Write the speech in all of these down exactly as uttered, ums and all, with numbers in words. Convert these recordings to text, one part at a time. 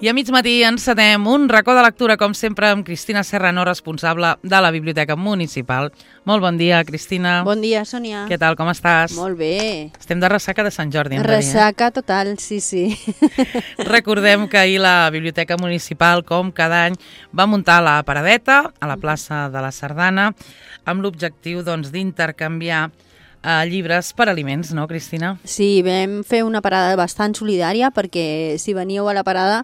I a mig matí encetem un racó de lectura, com sempre, amb Cristina Serrano, responsable de la Biblioteca Municipal. Molt bon dia, Cristina. Bon dia, Sònia. Què tal, com estàs? Molt bé. Estem de ressaca de Sant Jordi, hem de dir, eh? Ressaca total, sí, sí. Recordem que ahir la Biblioteca Municipal, com cada any, va muntar la paradeta a la plaça de la Sardana amb l'objectiu doncs, d'intercanviar Uh, llibres per aliments, no, Cristina? Sí, vam fer una parada bastant solidària perquè si veníeu a la parada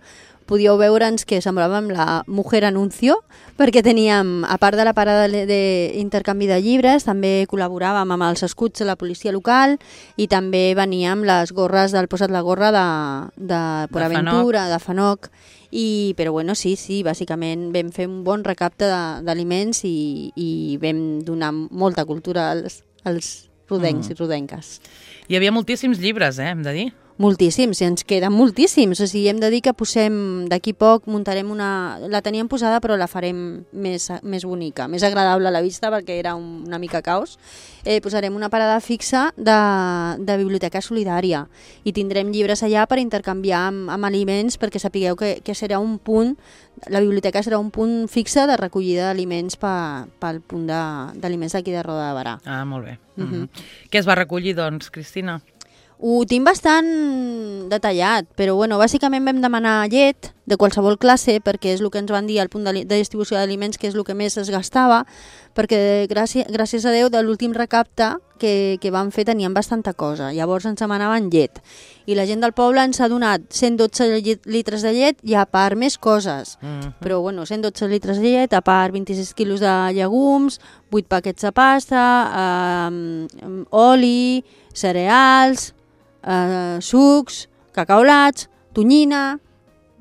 podíeu veure'ns que semblàvem la Mujer Anuncio, perquè teníem, a part de la parada d'intercanvi de llibres, també col·laboràvem amb els escuts de la policia local i també veníem les gorres del Posa't la gorra de, de Port Aventura, de Fanoc. I, però bueno, sí, sí, bàsicament vam fer un bon recapte d'aliments i, i vam donar molta cultura als, als rodencs mm. i rodenques. Hi havia moltíssims llibres, eh, hem de dir. Moltíssims, i ens queden moltíssims. O sigui, hem de dir que posem, d'aquí poc muntarem una... La teníem posada però la farem més, més bonica, més agradable a la vista perquè era un, una mica caos. Eh, posarem una parada fixa de, de biblioteca solidària i tindrem llibres allà per intercanviar amb, amb aliments, perquè sapigueu que, que serà un punt, la biblioteca serà un punt fixe de recollida d'aliments pel punt d'aliments d'aquí de Roda de Berà. Ah, molt bé. Uh -huh. Uh -huh. Què es va recollir, doncs, Cristina? Ho tinc bastant detallat, però bueno, bàsicament vam demanar llet de qualsevol classe, perquè és el que ens van dir al punt de, de distribució d'aliments, que és el que més es gastava, perquè gràcies, gràcies a Déu de l'últim recapte que, que vam fer tenien bastanta cosa, llavors ens demanaven llet. I la gent del poble ens ha donat cent dotze litres de llet i a part més coses. Uh-huh. Però bueno, cent dotze litres de llet, a part vint-i-sis quilos de llegums, vuit paquets de pasta, eh, oli, cereals, Uh, sucs, cacaolats, tonyina,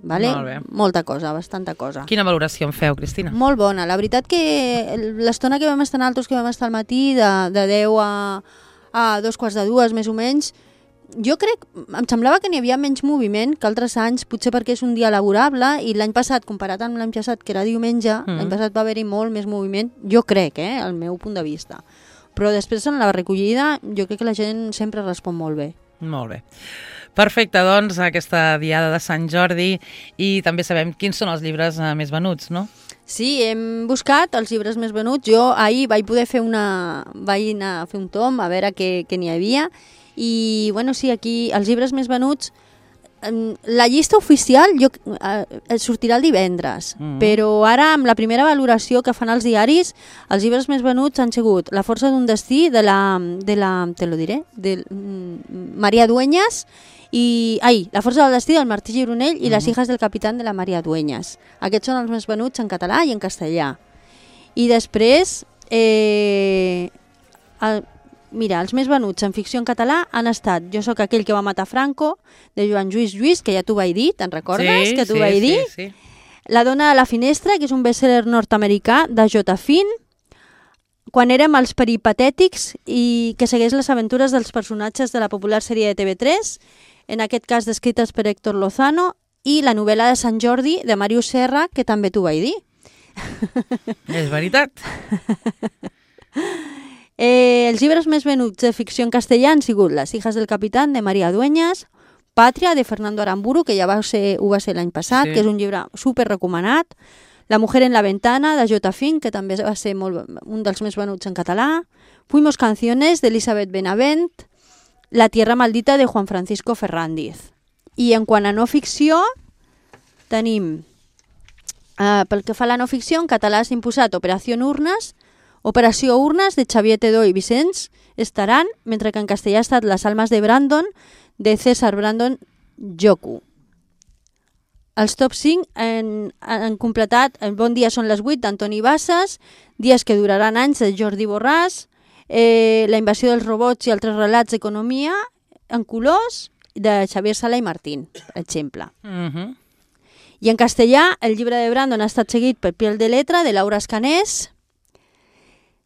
vale? Molta cosa, bastanta cosa. Quina valoració en feu, Cristina? Molt bona. La veritat que l'estona que vam estar nosaltres, que vam estar al matí, de, de deu a, a dos quarts de dues, més o menys, jo crec, em semblava que n'hi havia menys moviment que altres anys, potser perquè és un dia laborable, i l'any passat, comparat amb l'any passat, que era diumenge, mm. l'any passat va haver-hi molt més moviment, jo crec, eh, al meu punt de vista. Però després en la recollida jo crec que la gent sempre respon molt bé. Molt bé. Perfecte, doncs, aquesta diada de Sant Jordi, i també sabem quins són els llibres eh, més venuts, no? Sí, hem buscat els llibres més venuts. Jo ahir vaig poder fer una... vaig anar a fer un tom a veure què, què n'hi havia, i bueno, sí, aquí els llibres més venuts, la llista oficial jo, eh, sortirà el divendres, mm. però ara amb la primera valoració que fan els diaris, els llibres més venuts han sigut La força d'un destí de la, de la te lo diré, de mm, Maria Dueñas, i ai, La força del destí del Martí Gironell i mm. Les hijas del capitán de la Maria Dueñas. Aquests són els més venuts en català i en castellà. I després eh, el, mira, els més venuts en ficció en català han estat Jo sóc aquell que va matar Franco, de Joan Lluís Lluís, que ja t'ho vaig dir, te'n recordes? Sí, que t'ho sí, vaig dir? Sí, sí. La dona de la finestra, que és un best-seller nord-americà, de J. Finn, Quan érem els peripatètics, i que segueix les aventures dels personatges de la popular sèrie de T V tres, en aquest cas descrites per Héctor Lozano, i la novel·la de Sant Jordi, de Màrius Serra, que també t'ho vaig dir. És veritat. Eh, els llibres més venuts de ficció en castellà han sigut Les hijas del capitán, de Maria Dueñas, Pàtria, de Fernando Aramburu, que ja va ser, ho va ser l'any passat, sí. que és un llibre super recomanat, La mujer en la ventana, de J. Finn, que també va ser molt, un dels més venuts en català, Fuimos canciones, de Elisabeth Benavent, La tierra maldita, de Juan Francisco Ferrándiz. I en quant a no ficció, tenim, eh, pel que fa a la no ficció, en català s'ha imposat Operació Urnes, Operació Urnes, de Xavier Tedó i Vicenç Estaran, mentre que en castellà ha estat Las almas de Brandon, de César Brandon Joku. Els top cinc han, han completat El bon dia són les vuit, d'Antoni Bassas, Dies que duraran anys, de Jordi Borràs, eh, La invasió dels robots i altres relats d'economia en colors, de Xavier Sala i Martín, per exemple. Uh-huh. I en castellà, el llibre de Brandon ha estat seguit per Piel de letra, de Laura Escanés.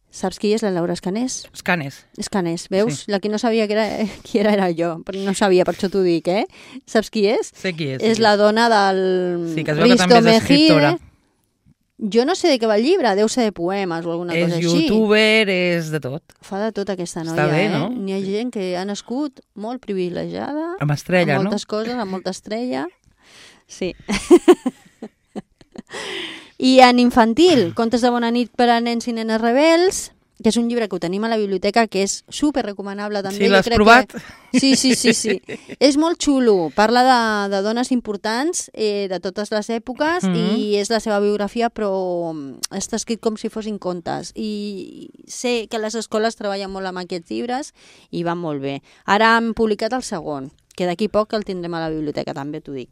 Saps qui és la Laura Escanés? Escanés. Escanés, veus? Sí. La que no sabia que era, qui era, era jo, però no sabia, per això t'ho dic, eh? Saps qui és? Sé qui és. És sí. la dona del Sí, que es veu que també és escriptora. Jo no sé de què va el llibre, deu ser de poemes o alguna és cosa així. És youtuber, és de tot. Fa de tot aquesta noia, Està bé, eh? no? N'hi ha gent que ha nascut molt privilegiada. Amb estrella, amb moltes no? coses, amb molta estrella. Sí. I en infantil, Contes de bona nit per a nens i nenes rebels, que és un llibre que ho tenim a la biblioteca, que és super recomanable també. Sí, l'has provat? Que... Sí, sí, sí, sí. És molt xulo. Parla de, de dones importants eh, de totes les èpoques mm -hmm. i és la seva biografia, però està escrit com si fossin contes. I sé que les escoles treballen molt amb aquests llibres i van molt bé. Ara han publicat el segon, que d'aquí poc el tindrem a la biblioteca, també t'ho dic.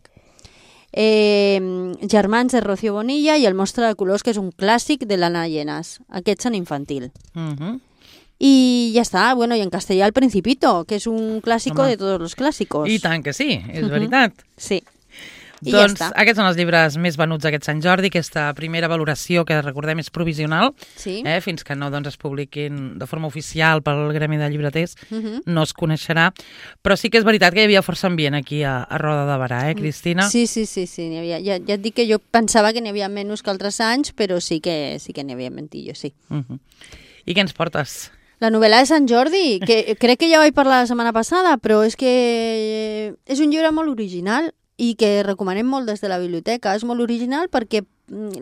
Eh, Germans de Rocío Bonilla i El monstre de colors, que és un clàssic de l'Anna Llenas. Aquests en infantil. Uh-huh. I ja està. Bueno, i en castellà El Principito, que és un clàssico Home. de tots els clàssicos. I tant que sí, és uh-huh. veritat. Sí. I doncs ja aquests són els llibres més venuts aquest Sant Jordi. Aquesta primera valoració, que recordem és provisional, sí. eh, fins que no doncs, es publiquin de forma oficial pel Gremi de Llibreters, uh-huh. no es coneixerà. Però sí que és veritat que hi havia força ambient aquí a, a Roda de Berà, eh, Cristina? Sí, sí, sí, sí n'hi havia. Ja, ja et dic que jo pensava que n'hi havia menys que altres anys, però sí que sí que n'hi havia mentillo, sí. Uh-huh. I què ens portes? La novel·la de Sant Jordi, que crec que ja vaig parlar la setmana passada, però és que és un llibre molt original i que recomanem molt des de la biblioteca. És molt original perquè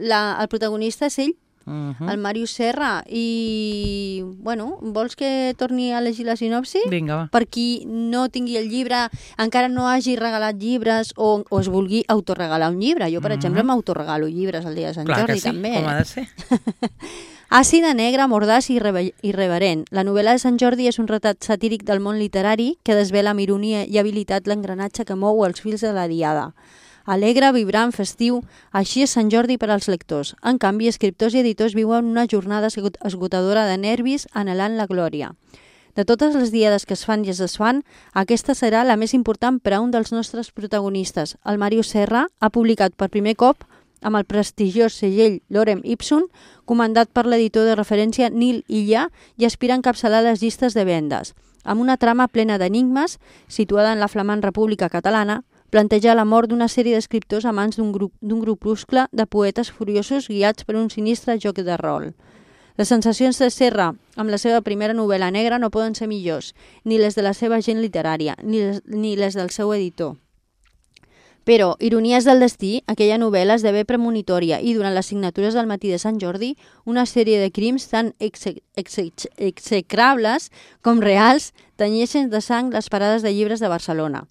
la, el protagonista és ell, uh-huh. el Màrius Serra, i, bueno, vols que torni a llegir la sinopsi? Vinga, va. Per qui no tingui el llibre, encara no hagi regalat llibres o, o es vulgui autoregalar un llibre. Jo, per uh-huh. exemple, m'autoregalo llibres el dia de Sant Clar Jordi, que sí, també. Com ha de ser. Àcida, negra, mordaç i irreverent. La novel·la de Sant Jordi és un retrat satíric del món literari que desvela amb ironia i habilitat l'engranatge que mou els fils de la diada. Alegre, vibrant, festiu, així és Sant Jordi per als lectors. En canvi, escriptors i editors viuen una jornada esgotadora de nervis anhelant la glòria. De totes les diades que es fan i es desfan, aquesta serà la més important per a un dels nostres protagonistes. El Màrius Serra ha publicat per primer cop amb el prestigiós segell Lorem Ipsum, comandat per l'editor de referència Nil Illa, i aspira a encapçalar les llistes de vendes. Amb una trama plena d'enigmes, situada en la flamant República Catalana, planteja la mort d'una sèrie d'escriptors a mans d'un grup, d'un grupuscle de poetes furiosos guiats per un sinistre joc de rol. Les sensacions de Serra amb la seva primera novel·la negra no poden ser millors, ni les de la seva gent literària, ni les, ni les del seu editor. Però, ironies del destí, aquella novel·la esdevé premonitòria i durant les signatures del matí de Sant Jordi, una sèrie de crims tan exe exe execrables com reals tenyeixen de sang les parades de llibres de Barcelona.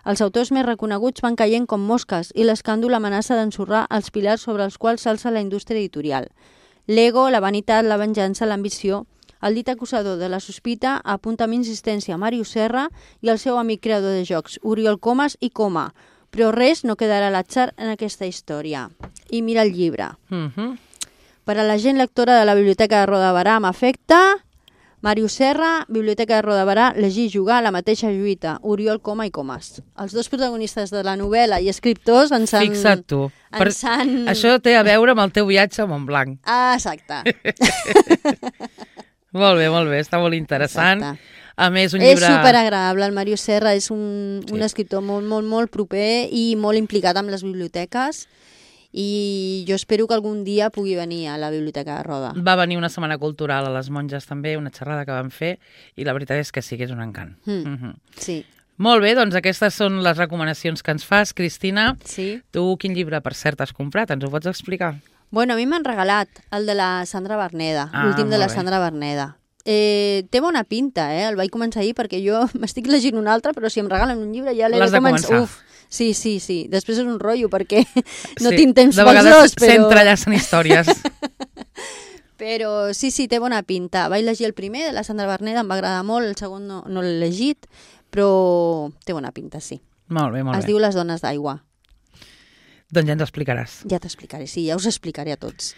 Els autors més reconeguts van caient com mosques i l'escàndol amenaça d'ensorrar els pilars sobre els quals s'alça la indústria editorial. L'ego, la vanitat, la venjança, l'ambició... El dit acusador de la sospita apunta amb insistència a Màrius Serra i el seu amic creador de jocs, Oriol Comas i Coma, però res no quedarà a l'atzar en aquesta història. I mira el llibre. Uh-huh. Per a la gent lectora de la Biblioteca de Roda de Berà amb afecte, Màrius Serra, Biblioteca de Roda de Berà, llegir i jugar, la mateixa lluita, Oriol Coma i Comas. Els dos protagonistes de la novel·la i escriptors ens han... Fixa't tu. Per... Han... Això té a veure amb el teu viatge a Montblanc. Ah, exacte. Molt bé, molt bé, està molt interessant. Exacte. A més, un llibre... És superagradable, el Màrius Serra és un, sí. un escriptor molt, molt, molt proper i molt implicat amb les biblioteques i jo espero que algun dia pugui venir a la Biblioteca de Roda. Va venir una setmana cultural a les Monges també, una xerrada que vam fer, i la veritat és que sí que és un encant. Mm. Mm-hmm. Sí. Molt bé, doncs aquestes són les recomanacions que ens fas, Cristina. Sí. Tu quin llibre, per cert, has comprat? Ens ho pots explicar? Bueno, a mi m'han regalat el de la Sandra Berneda, ah, l'últim de la bé. Sandra Berneda. Eh, té bona pinta, eh? El vaig començar ahir perquè jo m'estic llegint un altre, però si em regalen un llibre ja l'he de començar. Uf, sí, sí, sí. Després és un rotllo perquè no sí. tinc temps de pels dos, però... s'entrellacen històries. Però sí, sí, té bona pinta. Vaig llegir el primer de la Sandra Berneda, em va agradar molt, el segon no, no l'he llegit, però té bona pinta, sí. Molt bé, molt es bé. Es diu Les dones d'aigua. Doncs ja ens explicaràs. Ja t'explicaré, sí, ja us explicaré a tots.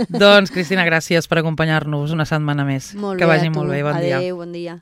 Doncs, Cristina, gràcies per acompanyar-nos una setmana més. Molt que bé, vagi a tu. molt bé, bon Adéu, dia. bon dia.